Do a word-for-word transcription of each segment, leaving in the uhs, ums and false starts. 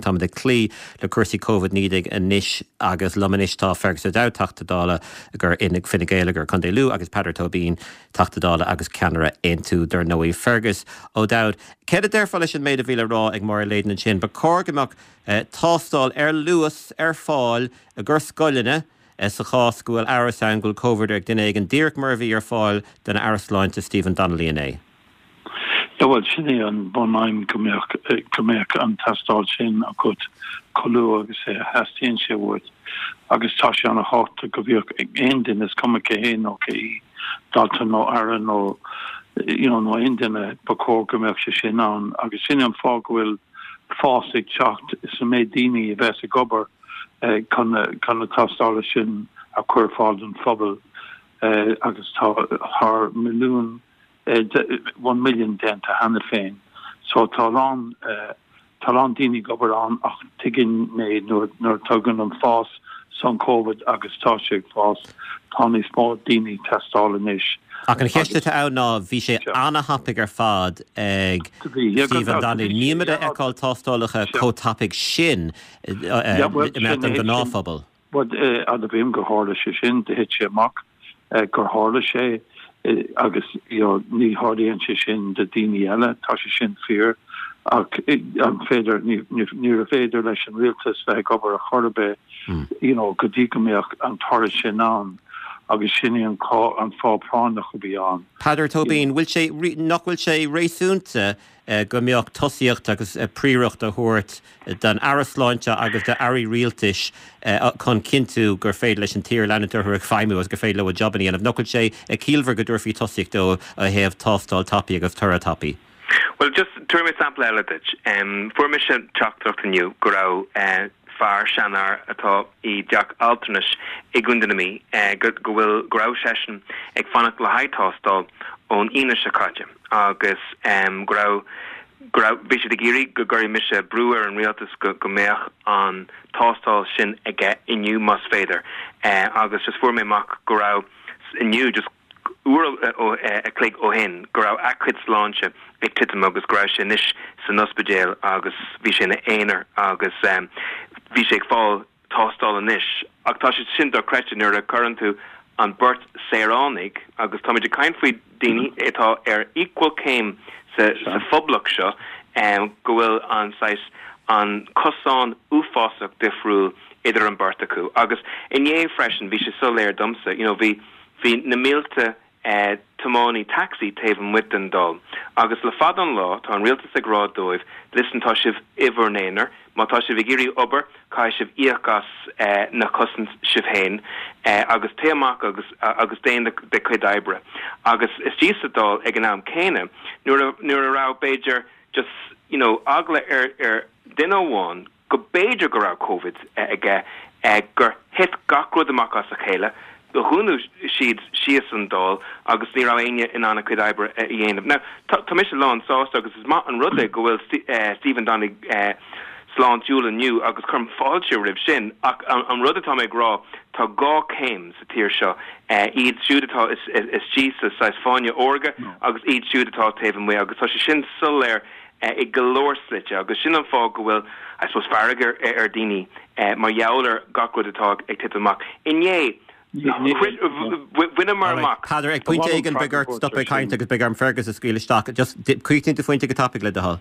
Táimid ag cloí le cúrsaí Covid naoi déag anois agus liom anois tá Fergus O'Dowd, Teachta Dála gur in Fine Gael gur Contae Lú agus Peadar Tóibín, Teachta Dála agus ceannaire Aontú dar ndóigh. Fergus O'Dowd, Céard a déarfá leis an méid a bhí le rá ag Máire Leyden ansin, ba chóir go mbeadh eh, tástáil ar luas ar fáil i gcomhair scoileanna eh, sa chás go bhfuil amhras ann go bhfuil Covid ag duine éigin díreach mar a bhí ar fáil don Aire Sláinte Stephen Donnelly inné. Ja well sin é an bunaidhm go mbeadh go mbeadh an tástáil sin agat chomh luath agus é theastaíonn sé uait agus tá sé an-tábhachtach go bhíodh aon duine is cuma cé hé nó cé í dalta nó aire nó you know, nó aon duine ba chóir go mbeadh sé sin ann agus sin an fáth go bhfuil fás ag teacht sa méid daoine a bheas ag obair eh, chun chun na tástála sin a chur fáil don phobal eh, agus tá thar milliún eh, one million déanta cheana féin. So tá lán eh, tá lán daoine ag obair ann ach tuigeann mé nuair nuair tagann an fás san COVID agus tá sé ag fás tá níos mó daoine teastáil anois. Ach an cheist atá ann ná bhí sé an-tapaidh ar fad ag Stephen Donnelly. Nílimid ag feiceáil tástálacha chomh tapaidh sin i measc an ghnáthphobal. Bud admhaím gur tharla sé sin de thit sé amach gur tharla sé agus ní tharlaíonn sé sin do daoine eile tá sé sin fíor ach an féidir ní féidir leis an rialtas bheith ag obair a chor be you know go dtí go mbeadh an toradh sin ann agus sin an an fáth práinneach a bhí ann. Peadar Tóibín, bhfuil sé nach bhfuil sé réasúnta go mbeadh tosaíocht agus príoracht a thabhairt don Aire Sláinte agus d'airí rialtais chun cinntiú gur féidir leis an tír leanúint ag feidhmiú agus gur féidir leo a job a dhéanamh. Nach bhfuil sé ag ciallmhar go dtabharfaí tosaíocht dó ó thaobh tástáil tapaidh agus toradh tapaidh. Well just tabharfaidh mé sampla eile duit. Um, fuair mise teachtaireacht inniu go raibh uh, fear seanfhear atá i dteach altranais i gContae na Mí uh, go bhfuil go raibh seisean ag fanacht le haghaidh tástáil ón Aoine seo caite agus um, go raibh go raibh bhí siad ag iarraidh go gcuirfeadh mise brú ar an rialtas go, go mbeadh an tástáil sin aige inniu más féidir uh, agus just fuair mé amach go raibh inniu just uair a chloig ó shin go raibh a chuid sláinte ag titim agus go raibh sé anois san ospidéal agus bhí sé ina aonar agus um, bhí sé ag fáil tástáil anois ach tá sé sin dochreidte nuair a chuireann tú an beirt saoránaigh agus táimid ag caint faoi daoine atá ar equal céim sa, sa phoblacht seo um, go bhfuil an saghas an cosán uafásach difriúil idir an beirt acu agus inné freisin bhí sé soiléir domsa you know, bhí bhí na mílte eh, tiománaí taxi taobh amuigh den Dáil. Agus le fada an lá tá an rialtas ag rá dóibh, listen tá sibh i bhur n-aonar, má tá sibh ag iarraidh obair caithfidh sibh íoc as eh, na cosaint sibh féin eh, agus téigh amach agus agus déan do chuid oibre. Agus istigh sa Dáil ag an am céanna nuair nuair a raibh b'fhéidir just you know, eagla ar ar duine amháin go b'fhéidir go raibh COVID aige eh, gur thit gach rud amach as a chéile, dhún siad síos an Dáil agus ní raibh éinne in ann a cuid oibre a dhéanamh. Now tá mise lán sásta agus is maith an rud é go bhfuil uh, Stephen Donnelly uh, sláintiúil inniu agus cuirim fáilte roimh sin ach an, an rud atá mé ag rá tá dhá chéim sa tír seo uh, iad siúd atá is, is, is sa saghas fáinne órga no. agus iad siúd atá taobh amuigh agus tá sé sin soiléir uh, i go leor slite agus sin an fáth go bhfuil I suppose fearg ar, ar daoine uh, mar gheall ar gach rud atá ag titim amach. Inné bhaineamar amach. Peadar ag pointe éigin beidh ort stop ag caint agus beidh orm Fergus a scaoileadh isteach just críochnaigh do phointe go tapaidh le do thoil.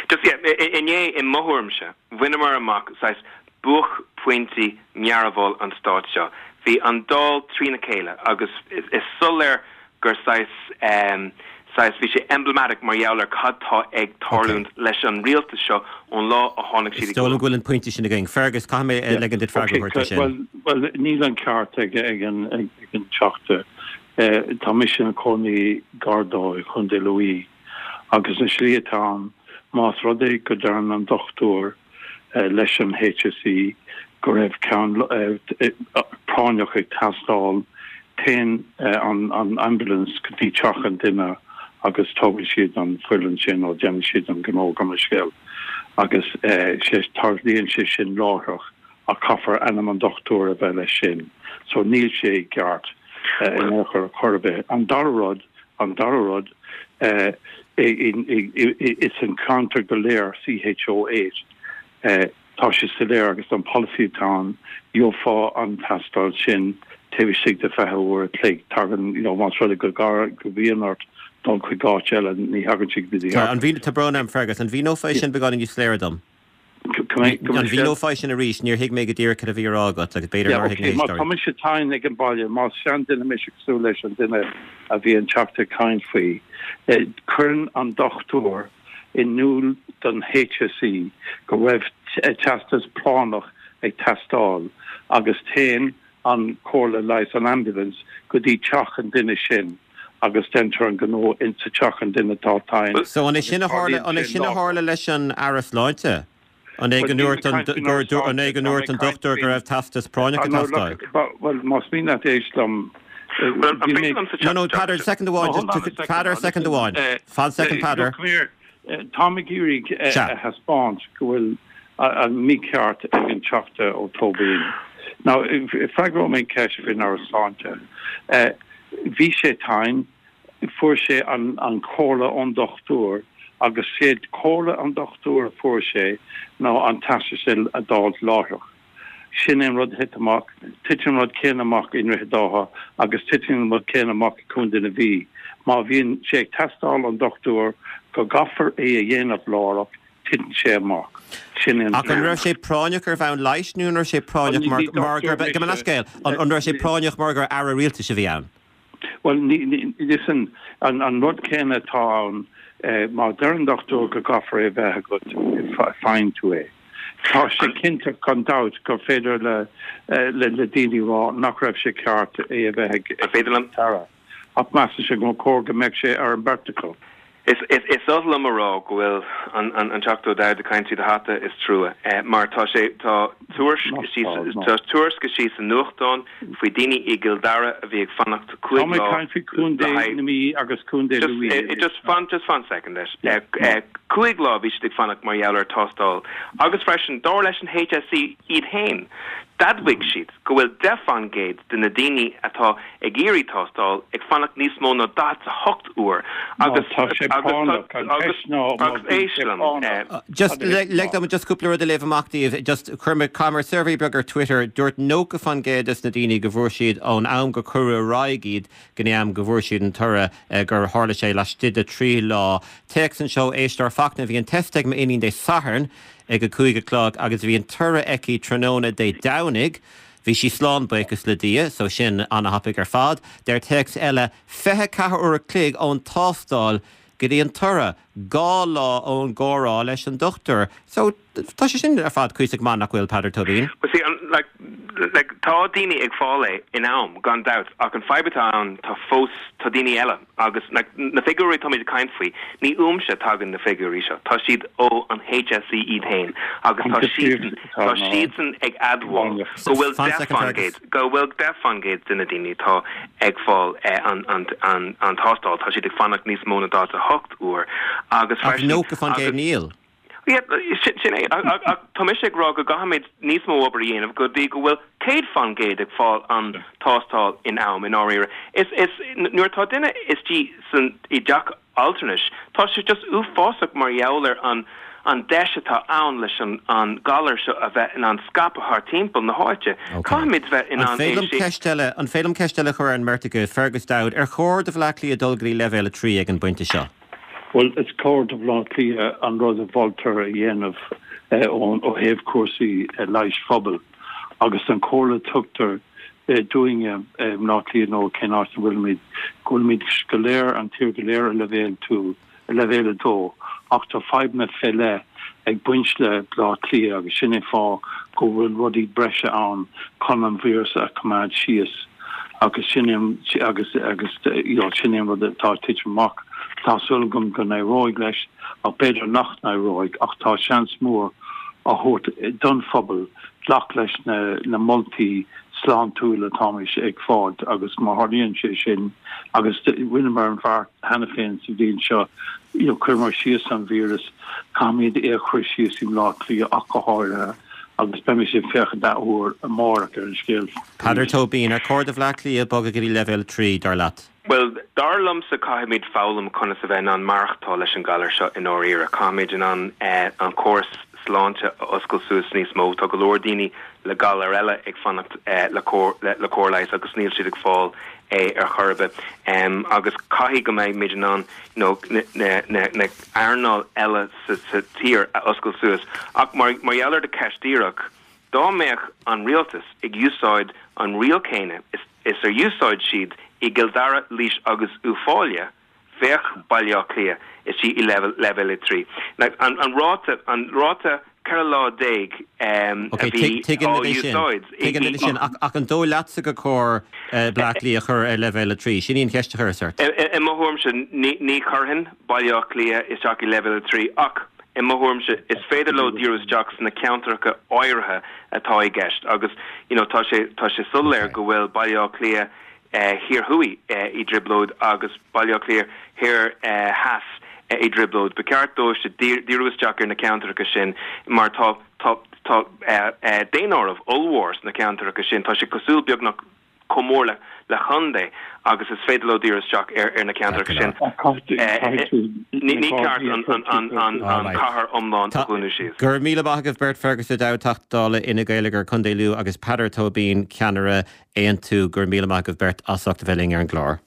Just yeah, inné i mo thuairimse, bhaineamar amach saghas buaicphointí mearbhall an stáit seo. Bhí an Dáil trína chéile agus is, is soiléir gur saghas um, saghas bhí sé emblematic mar gheall ar cad tá ag tarlúint okay. leis an rialtas seo ón lá a tháinig siad. Dóigh go bhfuil an pointe sin againn. Fergus caithfidh mé ligean duit freagra sin. Well, well níl an ceart ag ag an ag an Teachta. Uh, tá mise i mo chónaí gar dó i Contae Lú agus na slí atá más rud é go ndeir an dochtúir uh, leis an HSE go raibh ceann uh, práinneach ag teastáil téann uh, an, an ambulance go dtí teach an duine agus tógann siad an fuil sin ó déanann siad an gnó gan scéal agus sé tarlaíonn sé sin láithreach a caithfear ainm an dochtúir a bheith leis sin so níl sé ceart in chor chor bith an dara rud an dara rud is an ceantar go léir CHO eight Tá sé soiléir agus an polasaí atá ann, gheofá an tástáil sin taobh istigh de fiche uair a chloig. Tagann, you know, más rud é go go mbíonn ort dul chuig áit eile, ní thagann sé go dtí. An mhín, tá brón orm Fergus, an mhíneofá é sin beagáinín níos soiléire dom? An mhíneofá é sin arís? Níor thuig mé go díreach cad a bhí á rá agat agus b'fhéidir nár thuig na héisteoirí. Má tá mise tinn ag an baile, más seanduine mise cosúil leis an duine a bhí an Teachta ag caint faoi, cuireann an dochtúir in iúl don HSE go raibh teastas práinneach ag teastáil agus téann an chomhairle leighis, an ambulance, go dtí teach an duine sin agus déantar an gnó insa teach an duine atá tinn. So an é sin a tharla, an é sin a tharla leis an Aire Sláinte? An é go ndúirt an, an é go ndúirt an dochtúir go raibh teastas práinneach ag teastáil? Bhuel, más mian leat éist liom, No, no, Peadar, second amháin, just, Peadar, second amháin. Fan second, Peadar. Come here. Táim ag iarraidh a thaispeáint go bhfuil an mícheart ag an Teachta Ó Tóibín. Now, freagróidh mé an cheist faoin Aire Sláinte. Bhí sé tinn, fuair sé an chomhairle ón dochtúir agus sé comhairle an dochtúir a fuair sé ná an teastas a d'fháilt láithreach. Sin é an rud a thit amach. Titeann an rud céanna amach i nDroichead Átha agus titeann an rud céanna amach i Contae na Mí. Má bhíonn sé ag teastáil ón dochtúir go gcaithfear é a dhéanamh láithreach, titeann sé amach. Sin é an Ach an raibh sé práinneach ar bhonn leighis nó an raibh sé práinneach mar mar gur gabh mo leithscéal, an raibh sé práinneach mar gur aire rialtais a bhí ann? Bhuel, ní, listen, an an rud céanna atá ann, má deir an dochtúir go gcaithfear é a bheith agat, faigheann tú é. Tá sé cinnte gan dabht gur féidir le le daoine rá nach raibh sé ceart é a bheith ag An féidir liom? Aire, ach measann sé go chóir go mbeadh sé ar an mbeirt acu. Is is oth liom a rá go bhfuil an an Teachta Ó Dowd ag caint tríd a hata, is trua, mar tá sé tá tuairisc istigh tá tuairisc istigh sa nuachtán faoi daoine i gCill Dara a bhí ag fanacht cúig lá le haghaidh na Mí agus Contae Lú. Just fan just fan second leis. Cúig lá bhí siad ag fanacht mar gheall ar tástáil agus freisin dar leis an HSE iad féin d'admhaigh siad go bhfuil deich faoin gcéad de na daoine atá ag iarraidh tástáil ag fanacht níos mó ná daichead a hocht uair agus agus agus éist liom. Just lig dom just cúpla rud a léamh amach daoibh. Just chuir mé chuir mé suirbhé beag ar Twitter, dúirt nócha faoin gcéad des na daoine go bhfuair siad ón am gur cuireadh ar aghaidh iad go dtí am go bhfuair siad an toradh gur tharla sé laistigh de trí lá. Téacs anseo éisteoir Fachtna, bhí an test ag m'iníon Dé Sathairn ag a cúig a chlog agus bhí an toradh aici tráthnóna Dé Domhnaigh. Bhí sí slán buíochas le Dia, so sin an-thapaidh ar fad. Deir téacs eile, fiche ceathair uair a chloig ón tástáil go dtí an toradh, dhá lá ón gcomhrá leis an dochtúir. So tá sé sin ar fad cuíosach maith nach bhfuil Peadar Tóibín? Well see, an, like, like, tá daoine ag fáil é in am, gan dabht, ach an fadhb atá ann, tá fós, tá daoine eile agus like, na figiúirí táimid ag caint faoi, ní uaimse tagann na figiúirí seo, tá siad ó an HSE iad féin agus tá siadsan, tá siadsan ag admháil go bhfuil deich faoin gcéad, go bhfuil deich faoin gcéad de na daoine atá ag fáil an, an, an, an tástáil, tá siad ag fanacht níos mó ná daichead a hocht uair agus Ach freisin, nócha faoin gcéad agus. níl. Yeah, sin, sin é. Ach, ach tá mise ag rá go gcaithfimid níos mó obair a dhéanamh go dtí go bhfuil céad faoin gcéad ag fáil an tástáil in am, i ndáiríre. Is, is, nuair atá duine istigh san, i dteach altranais, tá sé just uafásach mar gheall ar an, an deis atá ann leis an, an galar seo a bheith in ann scaipeadh thar timpeall na háite. Ok. Caithfimid bheith in An ann féidir é liom sin. ceist eile, an féidir liom ceist eile a chur ar an mbeirt agaibh? Fergus Dowd, ar chóir do Bhaile Átha Cliath dul go dtí leibhéal a trí ag an bpointe seo? Bhuel, is cóir do Bhaile Átha Cliath an rud a mholtar a dhéanamh ó thaobh cúrsaí leighis phobail agus an chomhairle a tugtar dúinne i mBaile Átha Cliath nó cén áit a bhfuilimid, go bhfuilimid go léir, an tír go léir ar leibhéal two, ar leibhéal a dó ach tá fadhbanna fé leith ag baint le Baile Átha Cliath agus sin é fáth go bhfuil rudaí breise ann chun an víreas a choimeád síos agus sin é agus agus you know sin é an rud atá ag titim amach. Tá súil agam go n-éireoidh leis ach b'fhéidir nach n-éireoidh ach tá seans mór á thabhairt don phobal glac leis na na moltaí sláintiúla atáimid ag fáil agus má tharlaíonn sé sin agus rinneamar an bheart cheana féin sa bhliain seo you know chuireamar síos an víreas caithfimid é a chur síos i mBleá Cliath ach go háirithe agus beimid ag féachaint athuair amárach ar an scéal Peadar arís. Tóibín, Ar chóir do Bhleá Cliath bogadh go dtí leibhéal a trí, dar leat? Bhuel, dar liomsa caithfimid foghlaim conas a bheith in ann maireachtáil leis an galar seo i ndáiríre. Caithfimid in ann an córas sláinte a oscailt suas níos mó. Tá go leor daoine le galar eile ag fanacht le le cóir leighis agus níl siad ag fáil é ar chor ar bith. Agus caithfidh go mbeidh muid in ann you know na na na earnáil eile sa sa tír a oscailt suas. Ach mar mar gheall ar do cheist díreach, dá mbeadh an rialtas ag úsáid an riail céanna is is ar úsáid siad i gCill Dara, Laois agus Uíbh Fhailí, bheadh Baile Átha Cliath istigh i leibhéal a trí. An ráta, an ráta ceithre lá déag a bhí á úsáid i. Tuigim é sin, ach an dóigh leatsa gur chóir Baile Átha Cliath a chur ar leibhéal a trí? Sin í an cheist a chuireas ort. I mo thuairimse, ní chuirfinn Baile Átha Cliath isteach i leibhéal a trí ach i mo thuairimse is féidir leo díriú isteach sna ceantracha áirithe atá i gceist agus you know tá sé tá sé soiléir go bhfuil Baile Átha Cliath Thiar Thuaidh i dtrioblóid agus Baile Átha Cliath Thoir Theas i dtrioblóid. Ba cheart dóibh díriú isteach ar na ceantracha sin mar tá tá tá daonáireamh ollmhór sna ceantracha sin. Tá sé cosúil beagnach chomh mór le le chontae agus is féidir leo díriú isteach ar ar na ceantracha sin. Ní ceart an an an an cathair iomlán a dhúnadh síos. Go raibh míle maith agaibh beirt Fergus O'Dowd Teachta Dála Fhine Gael ar Contae Lú agus Peadar Tóibín ceannaire Aontú go raibh míle maith agaibh beirt as ucht a bheith linn ar an gclár.